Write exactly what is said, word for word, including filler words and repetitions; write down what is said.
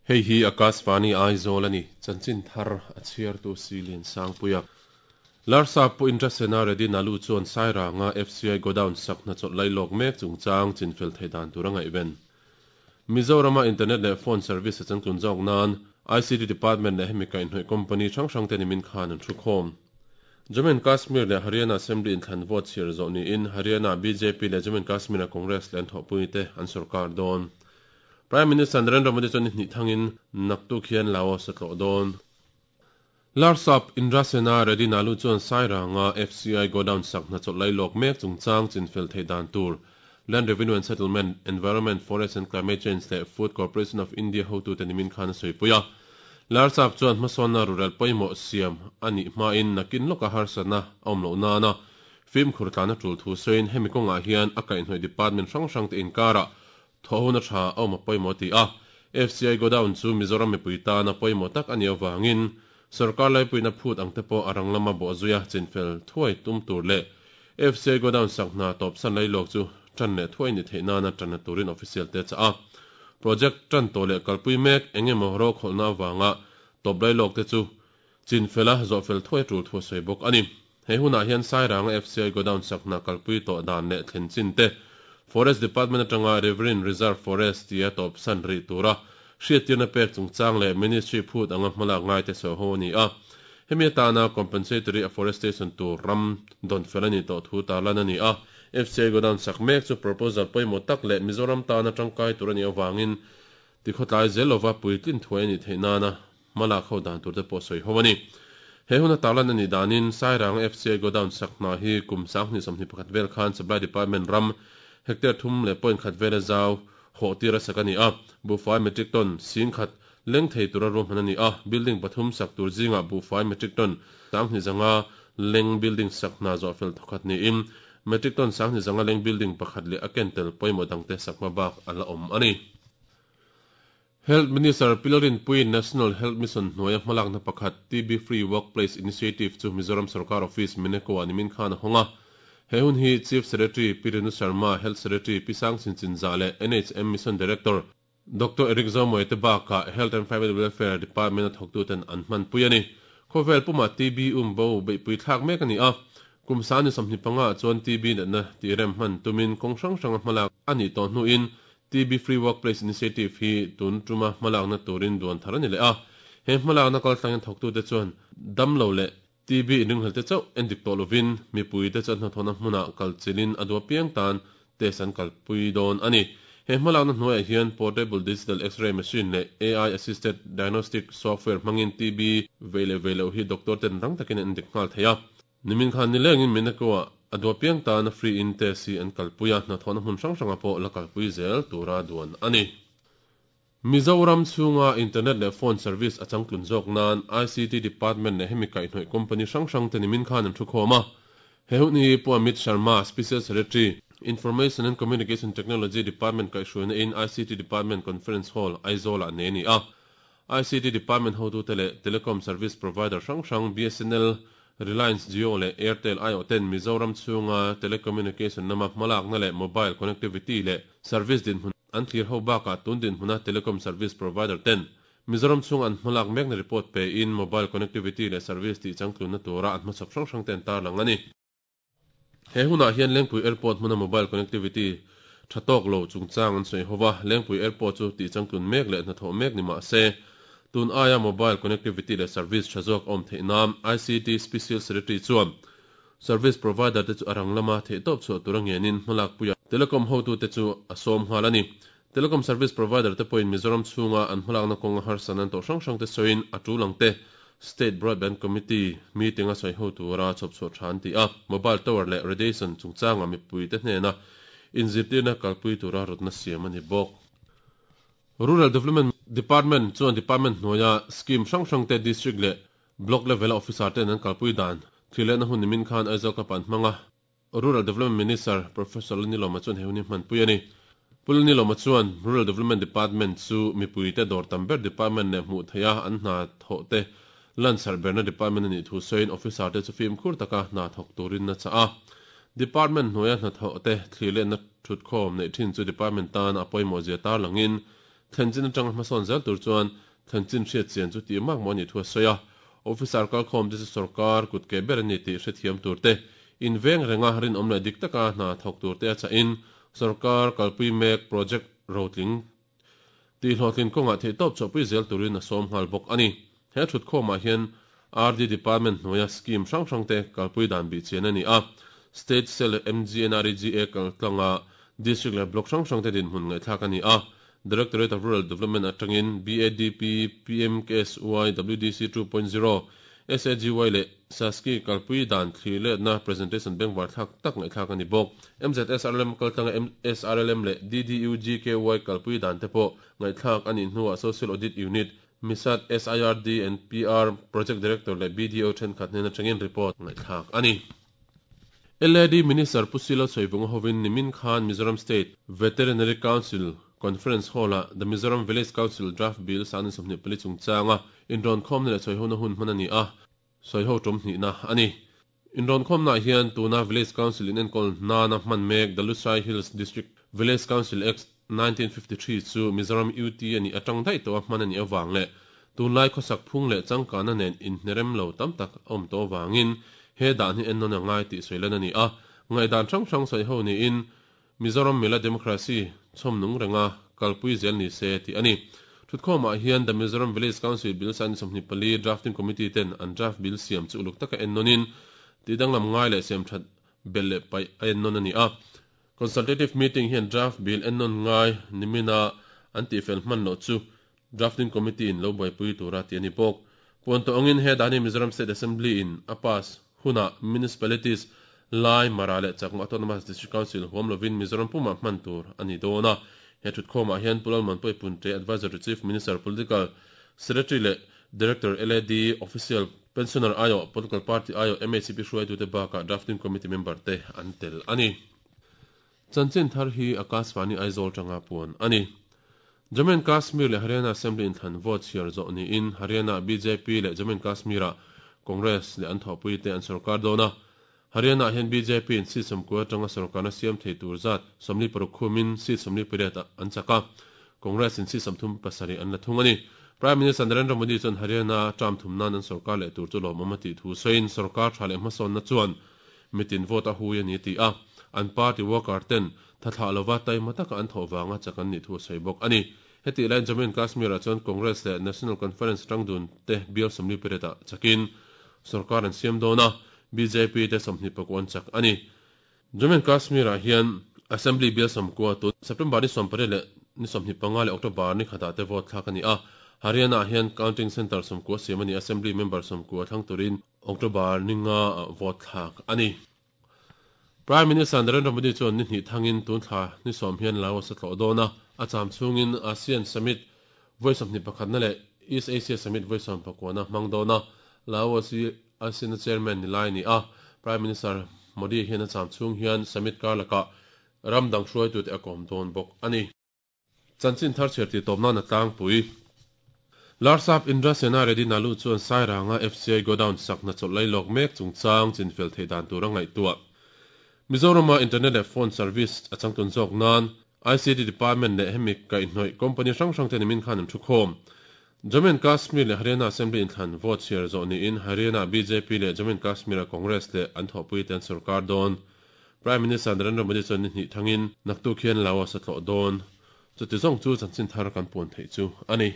Hei hi Akashvani Aizawl a ni. Chanchin thar a chhiartu Silian Sangpuia. Larsap pu Indrasena Reddy Nalu chuan Sairanga F C I Godown sak hna chawlh lailawk mek chungchang chinfel theih dan tur a ngaihven. Mizorama internet leh phone service a changtlun zawk nan I C T Department leh hemi kaihhnawih company hrang hrang te nimin khan an thu khawm. Jammu and Kashmir leh Haryana Assembly inthlan vote chhiar zawh niin Haryana B J P leh Jammu and Kashmir a Congress leh an thawhpui te an sorkar dawn. Prime Minister Narendra Modi chuan ni hnih thangin naktuk hian Laos a tlawh dawn. Larsap Indrasena Reddy Nalu chuan Sairanga F C I Godown sak hna chawlh lailawk mek chungchang chinfel theih dan tur Land Revenue and Settlement, Environment, Forest and Climate Change leh Food Corporation of India hotute nimin khan a sawipuia. Larsap chuan hmasawnna rural pawimawh siam anih hmain nakin lawka harsatna a awm loh nana fimkhur tlana tul thu sawiin hemi kawngah hian a kaihhnawih department hrang hrang te inkarah thawhhona tha a awm a pawimawh ti a. F C I Godown chu Mizoram mipui tana pawimawh tak ani awangin sarkar laipuina phut ang te pawh a rang lama bawh zuia chinfel thuai tum tur leh F C I Godown sak hna tawp san lailawk chu tan leh thuai ni theih nana tan turin official te cha a. Project tan to leh kalpui mek engemaw ro kholna awanga tawp lailawk te chu chinfela zawhfel thuai tul thu sawi bawk ani. He hunah hian Sairanga F C I Godown sak hna kalpui tawh dan leh thlen chin te, Forest Department atanga Riverine Reserve Forest tia tawp san ri tura hriattirna pek chungchang leh ministry phut anga hmalak ngai te sawi ho ani a. Hemi atana compensatory afforestation tur ram don fel ani tawh thu tarlan ani a. F C I Godown sak mek chu proposal pawimawh tak leh Mizoram tana tangkai tur ani awangin tikhaw zelova puitlin thuai ani theih nana hmalak ho dan tur te pawh sawi ho ani. He huna tarlan ani danin Sairang F C I Godown sak hna hi kum sanghnih sawmhnih pakhat vel khan Supply Department ram hectare thum leh point khat vel a zau hawh tir a sak ani a. Buhfai metric ton sing khat leng thei tura ruahman ani a. Building pathum sak tur zinga buhfai metric ton sanghnih zanga leng building sak hna zawh fel thawkhat niin metric ton sanghnih zanga leng building pakhat leh a kentel pawimawh dangte sak hma bak ala awm ani. Health Minister Pi Lalrinpuiin National Health Mission hnuaia hmalakna pakhat T B Free Workplace Initiative chu Mizoram Sarkar Office Mineko a nimin khan a hawnga. He hun hi Chief Secretary Pi Renu Sharma, Health Secretary Pi Sangchhin Chinzah leh N H M Mission Director Doctor Eric Zomoi te baka Health and Family Welfare Department a thawktuten an hman pui ani. Khawvel puma T B um bo beihpui thlak mek ani a. Kum sani sawmhnih panga chuan T B natna ti rem hman tumin kawng hrang hrang a hmalak ani tawh hnuin T B Free Workplace Initiative hi tun tuma hmalakna turin duan thar ani le a. He hmalakna kal tlangin thawktute chuan dam lo leh T B inringhal te chauh endik tawh lovin mipui te chuan hnathawhna hmuna kal chilin a dua piang tan test an kalpui dawn ani. He hmalakna hnuaiah hian portable digital X-ray machine leh A I assisted diagnostic software hmangin T B vei leh vei loh hi doctor ten rang takin an endik nghal thei a. Nimin khan nilengin Mineko a dua piang tan a free in test hi an kalpui a, hnathawhna hmun hrang hranga pawh la kalpui zel tura duan ani. Mizoram chhunga internet leh phone service a changtlun zawk nan I C T Department leh hemi kaihhnawih company hrang hrang te nimin khan an thu khawm a. He hun hi Pu Amit Sharma, Special Secretary, Information and Communication Technology Department kaihhruaina in I C T Department Conference Hall Aizawl ah ne ni a. I C T Department hotute leh telecom service provider hrang hrang B S N L, Reliance Jio leh Airtel aiawh ten Mizoram chhunga telecommunication lama hmalakna leh mobile connectivity leh service dinhmun an thlir ho bakah tun dinhmuna telecom service provider ten Mizoram chhung an hmalak mekna report pe in mobile connectivity leh service tih changtlunna tura an hmachhawp hrang hrang ten tarlang ani. He hunah hian Lengpui Airport hmuna mobile connectivity tha tawk lo chungchang an sawi hova. Lengpui Airport chu tih changtlun mek leh hnathawh mek ni mah se tun aia mobile connectivity leh service tha zawk awm theih nan I C T Special Secretary chuan service provider te chu a rang lama theih tawp chhuah tura ngenin hmalak puia telecom hotute chu a sawm nghal ani. Telecom service provider te pawhin Mizoram chhunga an hmalakna kawnga harsan an tawh hrang hrang te sawiin a tul ang te State Broadband Committee meeting a sawi ho tura chhawp chhuah tha an ti a. Mobile tower leh radiation chungchanga mipui te hnena inzirtirna kalpui tura rawtna siam ani bawk. Rural Development Department chuan department hnuaia scheme hrang hrang te district leh block level officer ten an kalpui dan thilehna hun nimin khan Aizawl kapan hmanga. Rural Development Minister Professor Lalnilawma chuan he hun hi hmanpui ani. Pu Lalnilawma chuan Rural Development Department chu mipui te dawr tam ber department leh hmuh theia an hna thawh te lansar berna department ani thu sawiin officer te chu fimkhur taka hna thawk turin na cha a. Department hnuaia hna thawh te thlirlehna thut khawm neih thin chu department tan a pawimawh zia tar langin Thlenchin atanga hmasawn zel tur chuan thlenchin hriat chian chu tih mak maw ni thu a sawi a. Officer kalkhawm te chu sarkar kut ke ber ani tih hrethiam tur te in veng renga rin awm leh dik taka hna thawk tur te a cha in sarkar kalpui mek project rotling ti hlawhtlin kawnga thei tawp chawpui zel turin a sawm nghal bawk ani. He thut khawmah hian R D Department hnuaia scheme hrang hrang te kalpui dan bi chian ani a. State Cell M G N R E G A kaltlanga District le block hrang hrang te din hmun ngai thlak ani a. Directorate of Rural Development atangin B A D P, P M K S Y, W D C two point zero, S A G Y le Saski kalpui dan thli le na presentation bengvar thlak tak ngai thlak ani bawk. M Z S R L M kaltlanga M S R L M le D D U G K Y kalpui dan te pawh ngai thlak ani hnuah Social Audit Unit Misat S I R D and P R Project Director le B D O thenkhat hnen atangin report ngai thlak ani. L A D Minister Pusila Soivunga hovin Nimin Khan Mizoram State Veterinary Council Conference Hall a The Mizoram Village Council Draft Bill sanin somni pali chungchanga inron khom le soihona hun hmanani a soiho tum ni na ani. Inron khom na hian tuna Village Council in enkol na na hman mek the Lushai Hills District Village Council Act nineteen fifty-three chu Mizoram U T ani atang dai to hmanani awang le tunlai khosak phung le changkana nen in hnerem lo tam tak awm to wangin he dan hi ennon angai ti soilan ani a ngai dan thang thang soi ho ni in Mizoram Mila Democracy chhomnung renga kalpui zel ni se ti ani. Thutkhawmah hian the Mizoram Village Council Bill san somni pali drafting committee ten an draft bill siam chu uluk taka ennonin ti danglam ngai le siam that bel le pai ennon ani a. Consultative meeting hian draft bill ennon ngai nimina an ti fel hman lo chu drafting committee in lo buaipui tura ti ani bawk. Puan to angin he dani Mizoram State Assembly in a pass huna municipalities Lai Mara le Chakma Autonomous District Council huam lovin Mizoram puma hman tur ani dona. He thutkhawmah hian Pulal Manpui Punte Advisor to Chief Minister Political Secretary le Director L A D Official Pensioner ayo Political Party ayo M A C P hruai tu te baka drafting committee member te an tel ani. Chanchin thar hi Akashvani Aizawl tanga puan ani. Jammu and Kashmir le Haryana Assembly in than vote share zo ni in Haryana B J P le Jammu and Kashmir Congress le an thawpui te an sarkar dona. Haryana hian B J P in seat sawmkua atanga sarkarna siam thei tur zat sawmli paruk khumin seat sawmli pariat an chaka. Congress in seat sawmthum pasarih an la thung ani. Prime Minister Narendra Modi chuan Haryana term thum nan an sarkar leh tur chu lawmawm a tih thu sawiin sarkar tha leh hmasawn na chuan mitin vote a hui ani ti a. An party worker ten thathla lova taima taka an thawh wanga chakan ni thu sawi bawk ani. Heti lain Jammu and Kashmir ah chuan Congress leh National Conference tangdun te bial sawmli pariat ah chakin sarkar an siam dona. B J P te sawmhnih pakua an chak ani. Jammu and Kashmir ah hian Assembly bial sawmkua tu September ni sawmpariat le ni sawmhnih panga le October ni khatah te vote thlak ani a. Haryana hian counting center sawmkua siam ani Assembly member sawmkua thlang turin October ni nga vote thlak ani. Prime Minister Narendra Modi chuan ni hnih thangin tun thla ni sawm hian Laos a tlawh dawna a cham chungin ASEAN Summit vawi sawmhnih pakhatna le East Asia Summit vawi sawm pakuana hmang dawna Laos hi ASEAN chairman ni lai ni a. Prime Minister Modi hian a cham chung hian summit kar laka ramdang hruai tu te a kawm dawn bawk ani. Chanchin thar chher ti tawpna na tlangpui. Larsap Indra Sena Reddy Nalu chuan Sairanga F C I Godown sakna chawlh lawk mek chungchang chinfel thei dan tur a ngaihtuah. Mizorama internet le phone service a changtun zawk nan I C T Department le hemi kaihhnawih company hrang hrang te nimin khan an thu khawm. Jammu and Kashmir le Haryana Assembly in thlan vote share zawh niin Haryana B J P le Jammu and Kashmir Congress le an thawhpui te an sarkar dawn. Prime Minister Narendra Modi chuan ni hnih thangin naktuk hian Laos a tlawh dawn. Chuti zawng chu chanchin thar kan puan theih chu ani.